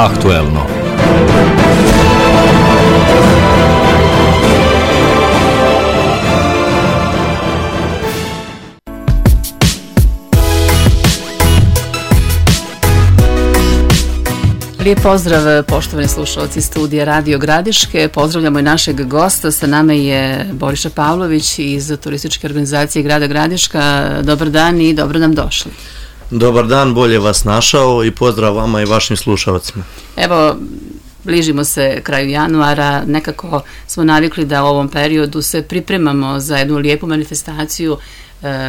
Aktuelno. Lijep pozdrav, poštovani slušalci studija Radio Gradiške. Pozdravljamo i našeg gosta. Sa nama je Boriša Pavlović iz turističke organizacije Grada Gradiška. Dobar dan i dobro nam došli. Dobar dan, bolje vas našao i pozdrav vama i vašim slušalcima. Evo, bližimo se kraju januara, nekako smo navikli da u ovom periodu se pripremamo za jednu lijepu manifestaciju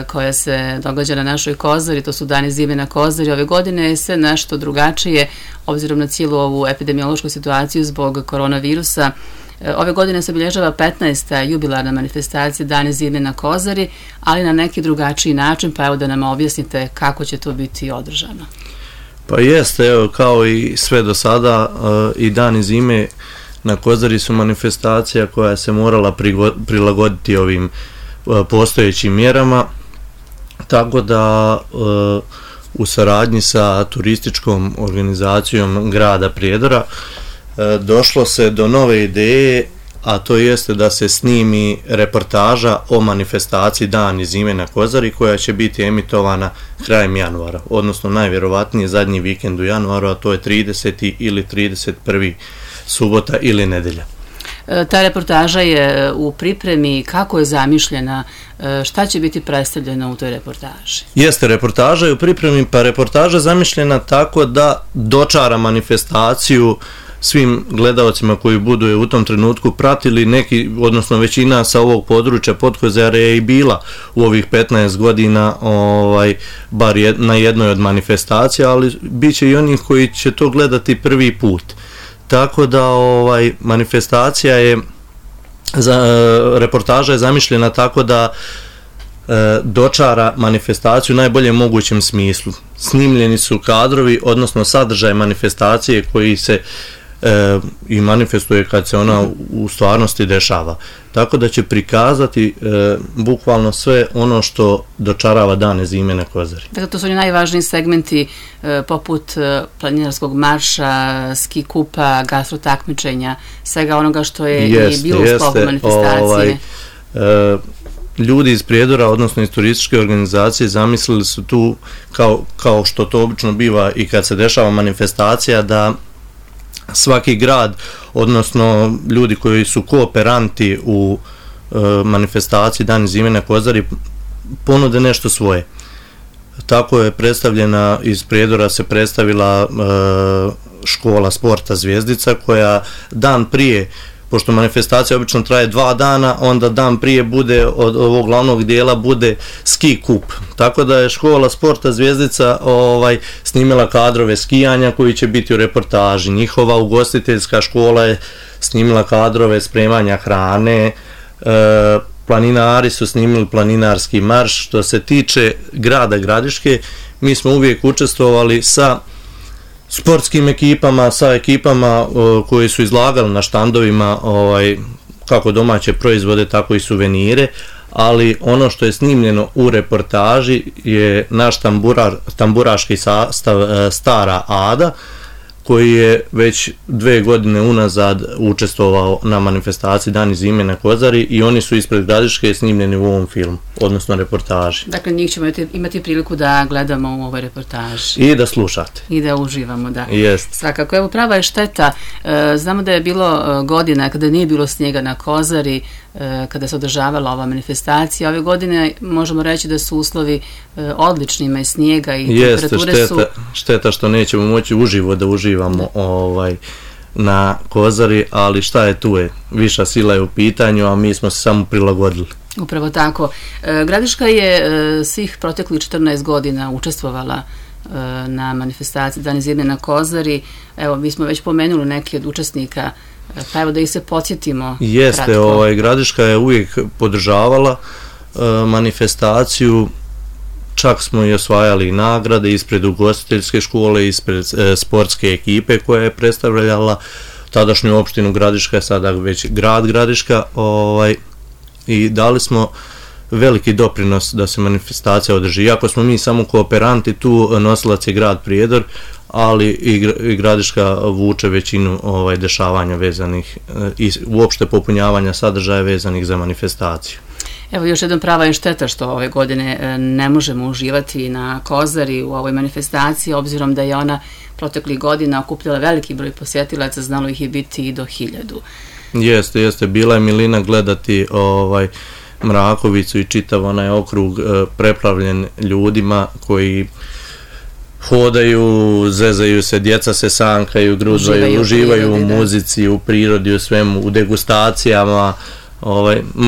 koja se događa na našoj Kozari, to su Dani zime na Kozari. Ove godine je sve nešto drugačije, obzirom na cijelu ovu epidemiološku situaciju zbog koronavirusa. Ove godine se obilježava 15. jubilarna manifestacija Dani zime na Kozari, ali na neki drugačiji način, pa evo da nam objasnite kako će to biti održano. Pa jeste, evo, kao i sve do sada, i Dani zime na Kozari su manifestacija koja se morala prilagoditi ovim postojećim mjerama, tako da u saradnji sa turističkom organizacijom grada Prijedora došlo se do nove ideje, a to jeste da se snimi reportaža o manifestaciji Dani zime na Kozari koja će biti emitovana krajem januara, odnosno najvjerovatnije zadnji vikend u januaru, a to je 30. ili 31. subota ili nedjelja. Ta reportaža je u pripremi, kako je zamišljena, šta će biti predstavljeno u toj reportaži? Jeste, reportaža je u pripremi, pa reportaža je zamišljena tako da dočara manifestaciju svim gledalcima koji budu je u tom trenutku pratili. Neki, odnosno većina sa ovog područja Podkozare je i bila u ovih 15 godina bar na jednoj od manifestacija, ali bit će i onih koji će to gledati prvi put. Tako da manifestacija je, reportaža je zamišljena tako da dočara manifestaciju u najboljem mogućem smislu. Snimljeni su kadrovi, odnosno sadržaj manifestacije koji se i manifestuje kad se ona u stvarnosti dešava. Tako da će prikazati bukvalno sve ono što dočarava Dane zime na Kozari. Dakle, to su oni najvažniji segmenti poput planinarskog marša, ski kupa, gastro takmičenja, svega onoga što je i bilo u sklopu manifestacije. Ljudi iz Prijedora, odnosno iz turističke organizacije, zamislili su tu, kao što to obično biva i kad se dešava manifestacija, da svaki grad, odnosno ljudi koji su kooperanti u manifestaciji Dani zime na Kozari, ponude nešto svoje. Tako je predstavljena, iz Prijedora se predstavila škola sporta Zvijezdica, koja dan prije, pošto manifestacija obično traje 2 dana, onda dan prije bude od ovog glavnog dijela bude ski kup. Tako da je škola sporta Zvijezdica snimila kadrove skijanja koji će biti u reportaži. Njihova ugostiteljska škola je snimila kadrove spremanja hrane, planinari su snimili planinarski marš. Što se tiče grada Gradiške, mi smo uvijek učestvovali sa sportskim ekipama, sa ekipama koji su izlagali na štandovima kako domaće proizvode, tako i suvenire, ali ono što je snimljeno u reportaži je naš tamburaški sastav Stara Ada, koji je već 2 godine unazad učestvovao na manifestaciji Dani zime na Kozari i oni su ispred Gradiške snimljeni u ovom filmu, odnosno reportaži. Dakle, njih ćemo imati priliku da gledamo u ovoj reportaži. I da slušate. I da uživamo, da. Jest. Svakako, evo, prava je šteta. Znamo da je bilo godina kada nije bilo snijega na Kozari, kada se održavala ova manifestacija. Ove godine možemo reći da su uslovi odlični, ima i snijega i temperature su... Šteta što nećemo moći uživo da uživamo na Kozari, ali šta je tu je, viša sila je u pitanju, a mi smo se samo prilagodili. Upravo tako. Gradiška je svih proteklih 14 godina učestvovala na manifestaciji Dani zime na Kozari. Evo, mi smo već pomenuli neki od učesnika, pa evo da ih se podsjetimo. Jeste, Gradiška je uvijek podržavala manifestaciju, čak smo i osvajali nagrade ispred ugostiteljske škole, ispred sportske ekipe koja je predstavljala tadašnju opštinu Gradiška, sada već grad Gradiška, i dali smo veliki doprinos da se manifestacija održi. Iako smo mi samo kooperanti, tu nosilac je grad Prijedor, ali i Gradiška vuče većinu dešavanja vezanih i uopšte popunjavanja sadržaja vezanih za manifestaciju. Evo još jednom prava je šteta što ove godine ne možemo uživati na Kozari u ovoj manifestaciji, obzirom da je ona proteklih godina okupljala veliki broj posjetilaca, znalo ih je biti i do 1000. Jeste, bila je milina gledati Mrakovicu i čitav onaj okrug preplavljen ljudima koji hodaju, zezaju se, djeca se sankaju, grudvaju, uživaju u muzici, u prirodi, u svemu, u degustacijama.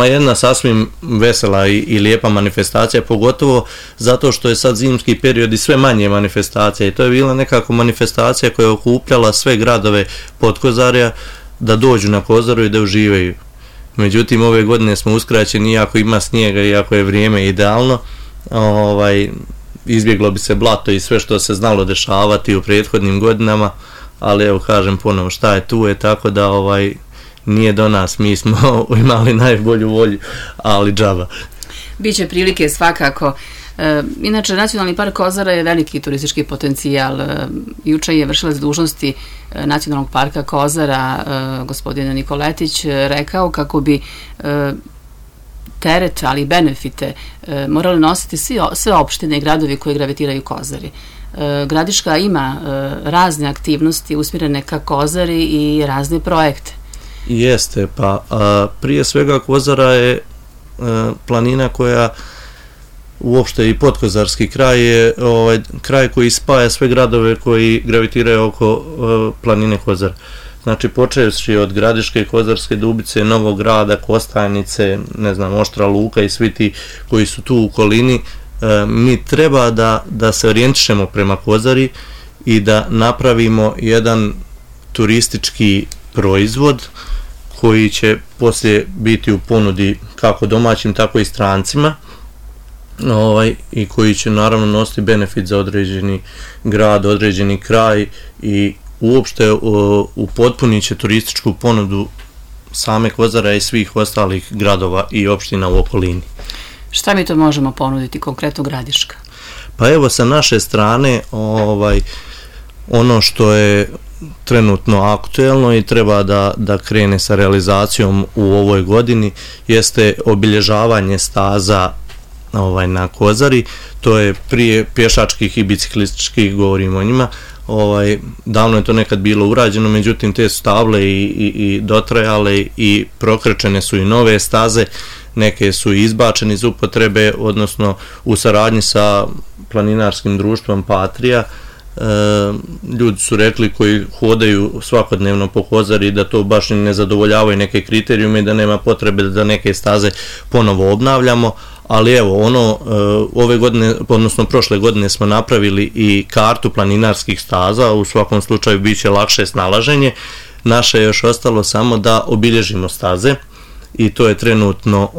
Jedna sasvim vesela i lijepa manifestacija, pogotovo zato što je sad zimski period i sve manje manifestacija i to je bila nekako manifestacija koja je okupljala sve gradove Podkozarja da dođu na Kozaru i da uživaju. Međutim, ove godine smo uskraćeni, iako ima snijega, iako je vrijeme idealno, izbjeglo bi se blato i sve što se znalo dešavati u prethodnim godinama, ali evo kažem ponovo šta je tu je, tako da nije do nas, mi smo imali najbolju volju, ali džaba. Biće prilike svakako. Inače, Nacionalni park Kozara je veliki turistički potencijal. Juče je vršilac dužnosti Nacionalnog parka Kozara, gospodin Nikoletić, rekao kako bi teret, ali i benefite morali nositi sve opštine i gradovi koji gravitiraju Kozari. Gradiška ima razne aktivnosti usmjerene ka Kozari i razne projekte. Jeste, pa prije svega Kozara je planina koja uopšte i podkozarski kraj je kraj koji spaja sve gradove koji gravitiraju oko planine Kozar. Znači počevši od Gradiške, Kozarske Dubice, Novog Grada, Kostajnice, Oštra Luka i svi ti koji su tu u okolini, mi treba da se orijentišemo prema Kozari i da napravimo jedan turistički proizvod koji će poslije biti u ponudi kako domaćim, tako i strancima i koji će naravno nositi benefit za određeni grad, određeni kraj i uopšte upotpunit će turističku ponudu same Kozara i svih ostalih gradova i opština u okolini. Šta mi to možemo ponuditi konkretno Gradiška? Pa evo sa naše strane ono što je trenutno aktuelno i treba da krene sa realizacijom u ovoj godini jeste obilježavanje staza na Kozari. To je prije pješačkih i biciklističkih, govorimo o njima. Davno je to nekad bilo urađeno, međutim te su table i dotrajale i prokrečene su i nove staze, neke su izbačene iz upotrebe, odnosno u saradnji sa planinarskim društvom Patrija. Ljudi su rekli koji hodaju svakodnevno po Kozari da to baš ne zadovoljavaju neke kriterijume i da nema potrebe da neke staze ponovo obnavljamo, ali evo ove godine, odnosno prošle godine smo napravili i kartu planinarskih staza, u svakom slučaju bit će lakše snalaženje. Naše je još ostalo samo da obilježimo staze i to je trenutno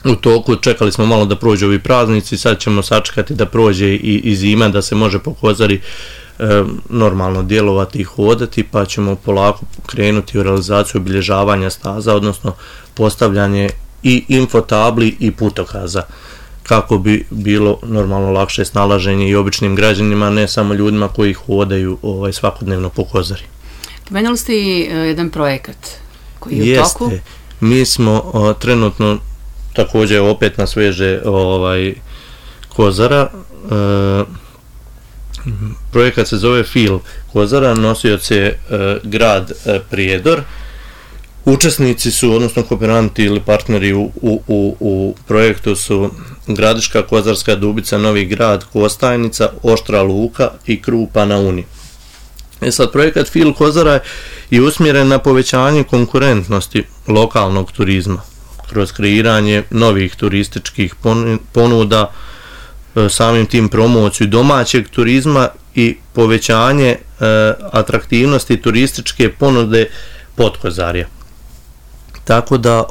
u toku. Čekali smo malo da prođe ovi praznici, sad ćemo sačekati da prođe i zima, da se može po Kozari normalno djelovati i hodati, pa ćemo polako krenuti u realizaciju obilježavanja staza, odnosno postavljanje i infotabli i putokaza, kako bi bilo normalno lakše snalaženje i običnim građanima, ne samo ljudima koji hodaju svakodnevno po Kozari. Pomenuli ste i jedan projekat koji je u toku. Jeste, mi smo trenutno također opet nas veže Kozara. Projekat se zove Feel Kozara, nosioc je grad Prijedor. Učesnici su, odnosno kooperanti ili partneri u projektu su Gradiška, Kozarska Dubica, Novi Grad, Kostajnica, Oštra Luka i Krupa na Uni. Sad, projekat Feel Kozara je usmjeren na povećanje konkurentnosti lokalnog turizma kroz kreiranje novih turističkih ponuda, samim tim promociju domaćeg turizma i povećanje atraktivnosti turističke ponude Podkozarja. Tako da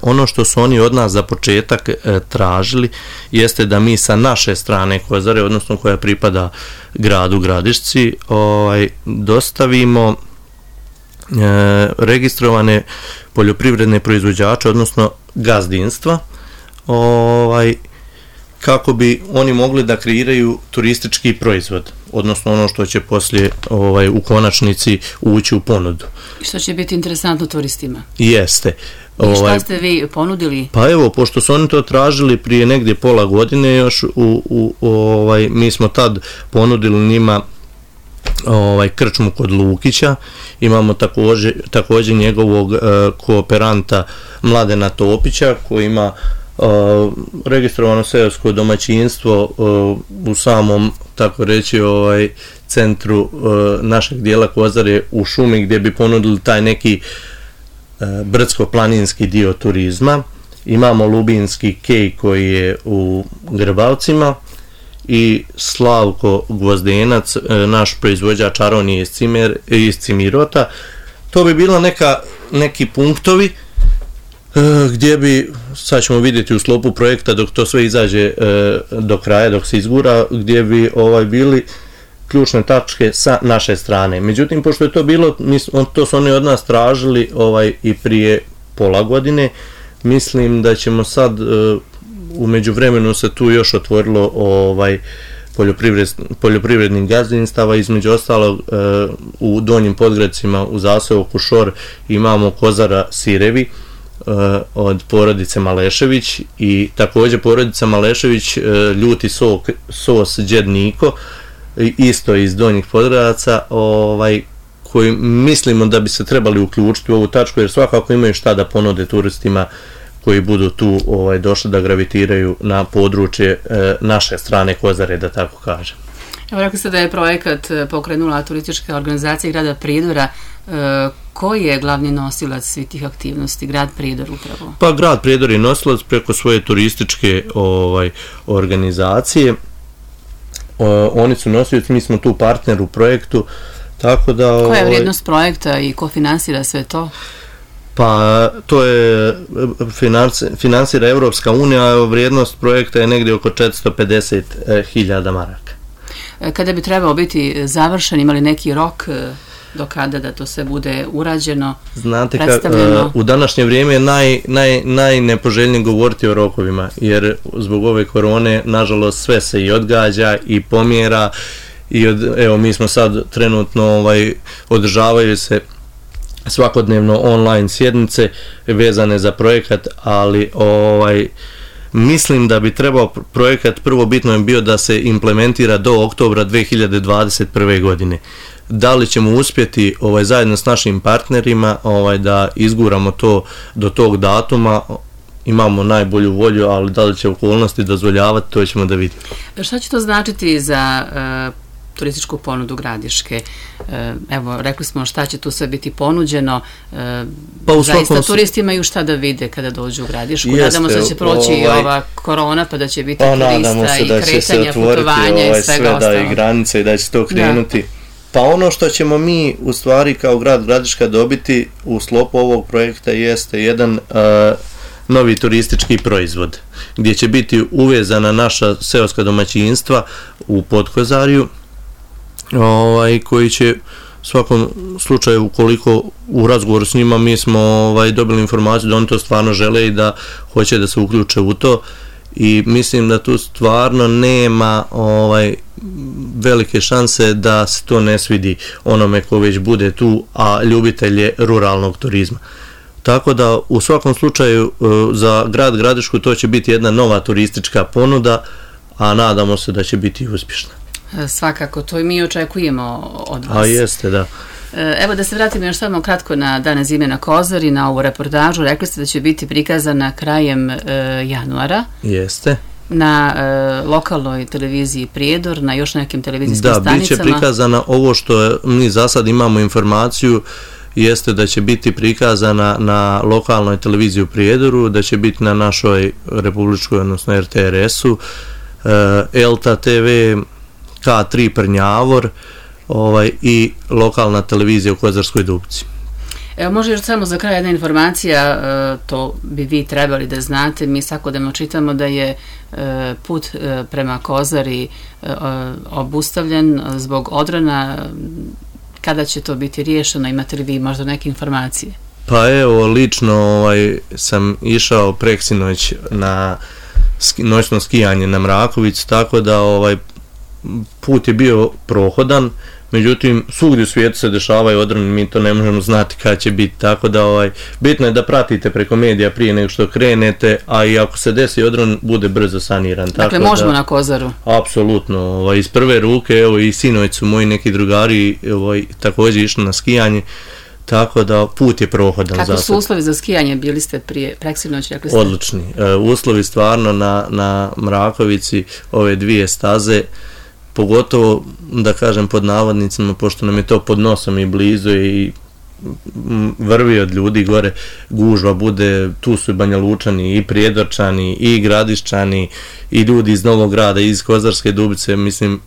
ono što su oni od nas za početak tražili jeste da mi sa naše strane Kozare, odnosno koja pripada gradu Gradišci, dostavimo registrovane poljoprivredne proizvođače, odnosno gazdinstva, kako bi oni mogli da kreiraju turistički proizvod. odnosno ono što će poslije u konačnici ući u ponudu. Što će biti interesantno turistima. Jeste. I šta ste vi ponudili? Pa evo, pošto su oni to tražili prije negdje pola godine još, mi smo tad ponudili njima krčmu kod Lukića, imamo također njegovog kooperanta Mladena Topića koji ima registrovano seosko domaćinstvo u samom, tako reći, centru našeg dijela Kozare u šumi, gdje bi ponudili taj neki brdsko-planinski dio turizma. Imamo Lubinski kej koji je u Grbavcima i Slavko Gvozdenac, naš proizvođač aronije iz Cimirota. To bi bilo neki punktovi gdje bi, sad ćemo vidjeti u sklopu projekta dok to sve izađe do kraja, dok se izgura, gdje bi bili ključne tačke sa naše strane. Međutim, pošto je to bilo, to su oni od nas tražili i prije pola godine, mislim da ćemo sad, u međuvremenu se tu još otvorilo poljoprivrednih gazdinstava, između ostalog u Donjim Podgradcima u zaseoku Šor imamo Kozara Sirevi od porodice Malešević i također porodica Malešević ljuti sos Đed Niko, isto iz Donjih Podgradaca, koji mislimo da bi se trebali uključiti u ovu tačku, jer svakako imaju šta da ponude turistima koji budu tu došli da gravitiraju na područje naše strane Kozare, da tako kažem. Evo, rekli ste da je projekat pokrenula turistička organizacija grada Prijedora. Koji je glavni nosilac svih tih aktivnosti, grad Prijedor upravo? Pa grad Prijedor je nosilac preko svoje turističke organizacije. Oni su nosioci, mi smo tu partner u projektu, tako da... Koja je vrijednost projekta i ko finansira sve to? Pa to je finansira Evropska unija, a vrijednost projekta je negdje oko 450.000 maraka. Kada bi trebao biti završen, imali neki rok do kada da to sve bude urađeno, znate, predstavljeno? U današnje vrijeme je najnepoželjnije govoriti o rokovima, jer zbog ove korone, nažalost, sve se i odgađa i pomjera i evo, mi smo sad trenutno održavaju se svakodnevno online sjednice vezane za projekat, ali mislim da bi trebao projekat, prvo bitno je bio da se implementira do oktobra 2021. godine. Da li ćemo uspjeti zajedno s našim partnerima da izguramo to do tog datuma, imamo najbolju volju, ali da li će okolnosti dozvoljavati, to ćemo da vidimo. Šta će to značiti za turističku ponudu Gradiške? Evo, rekli smo šta će tu sve biti ponuđeno. Zaista turisti imaju šta da vide kada dođu u Gradišku. Nadamo se da će proći i ova korona, pa da će biti turista i kretanja, putovanja i svega ostalo. Da i granice i da će to krenuti. Pa ono što ćemo mi u stvari kao grad Gradiška dobiti u sklopu ovog projekta jeste jedan novi turistički proizvod, gdje će biti uvezana naša seoska domaćinstva u Podkozarju, koji će u svakom slučaju, ukoliko u razgovoru s njima mi smo dobili informaciju da oni to stvarno žele i da hoće da se uključe u to, i mislim da tu stvarno nema velike šanse da se to ne svidi onome ko već bude tu, a ljubitelj je ruralnog turizma. Tako da u svakom slučaju za grad Gradišku to će biti jedna nova turistička ponuda, a nadamo se da će biti uspješna. Svakako, to i mi očekujemo od vas. A jeste, da. Evo da se vratimo još samo kratko na Dane zime na Kozari, na ovu reportažu. Rekli ste da će biti prikazana krajem januara. Jeste. Na lokalnoj televiziji Prijedor, na još nekim televizijskim stanicama. Da, bit će prikazana, ovo što mi za sad imamo informaciju, jeste da će biti prikazana na lokalnoj televiziji u Prijedoru, da će biti na našoj republičkoj, odnosno RTRS-u, Elta TV, K3 Prnjavor i lokalna televizija u Kozarskoj Dubci. Evo, može još samo za kraj jedna informacija, to bi vi trebali da znate, mi svakodnevno čitamo da je put prema Kozari obustavljen zbog odrona. Kada će to biti riješeno, imate li vi možda neke informacije? Pa evo, lično sam išao preksinoć na noćno skijanje na Mrakovicu, tako da put je bio prohodan, međutim svugdje u svijetu se dešavaju odroni, mi to ne možemo znati kada će biti, tako da bitno je da pratite preko medija prije nego što krenete, a i ako se desi odron, bude brzo saniran. Dakle, tako možemo na Kozaru? Apsolutno, iz prve ruke, evo i sinoć su moji neki drugari također išli na skijanje, tako da put je prohodan. Kako su uslovi za skijanje? Bili ste prije preksinoć, rekli ste? Odlični. Uslovi stvarno na Mrakovici, ove dvije staze, pogotovo, da kažem pod navodnicima, pošto nam je to pod nosom i blizu i vrvi od ljudi gore, gužva bude, tu su i Banjalučani, i Prijedorčani, i Gradiščani, i ljudi iz Novog Grada, iz Kozarske Dubice, mislim,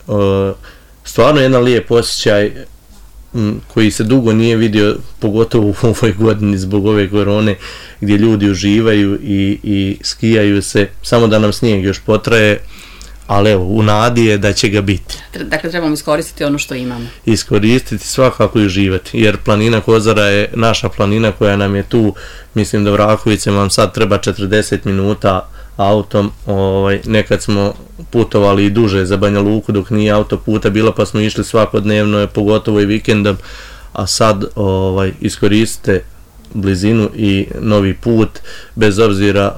stvarno jedan lijep osjećaj koji se dugo nije vidio, pogotovo u ovoj godini zbog ove korone, gdje ljudi uživaju i skijaju se, samo da nam snijeg još potraje, ali evo, u nadi je da će ga biti. Dakle, trebamo iskoristiti ono što imamo. Iskoristiti, svakako i uživati, jer planina Kozara je naša planina koja nam je tu, mislim da Vrakovice vam sad treba 40 minuta autom, nekad smo putovali i duže za Banja Luku dok nije autoputa bilo, pa smo išli svakodnevno, pogotovo i vikendom, a sad iskoristite blizinu i novi put, bez obzira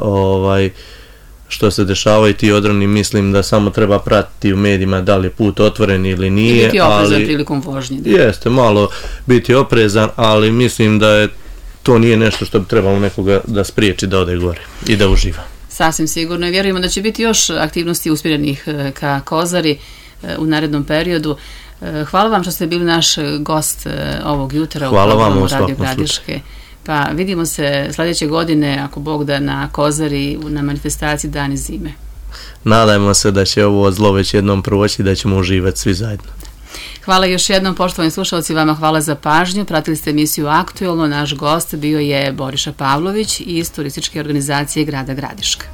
što se dešavaju ti odroni, mislim da samo treba pratiti u medijima da li je put otvoren ili nije. I biti oprezan prilikom vožnje. Jeste, malo biti oprezan, ali mislim da to nije nešto što bi trebalo nekoga da spriječi da ode gore i da uživa. Sasvim sigurno i vjerujemo da će biti još aktivnosti usmjerenih ka Kozari u narednom periodu. Hvala vam što ste bili naš gost ovog jutra u programu Radio Gradiške. Pa vidimo se sljedeće godine, ako Bog da, na Kozari na manifestaciji Dani zime. Nadajmo se da će ovo zlo već jednom proći i da ćemo uživati svi zajedno. Hvala još jednom, poštovani slušalci, vama hvala za pažnju. Pratili ste emisiju Aktuelno, naš gost bio je Boriša Pavlović iz turističke organizacije grada Gradiška.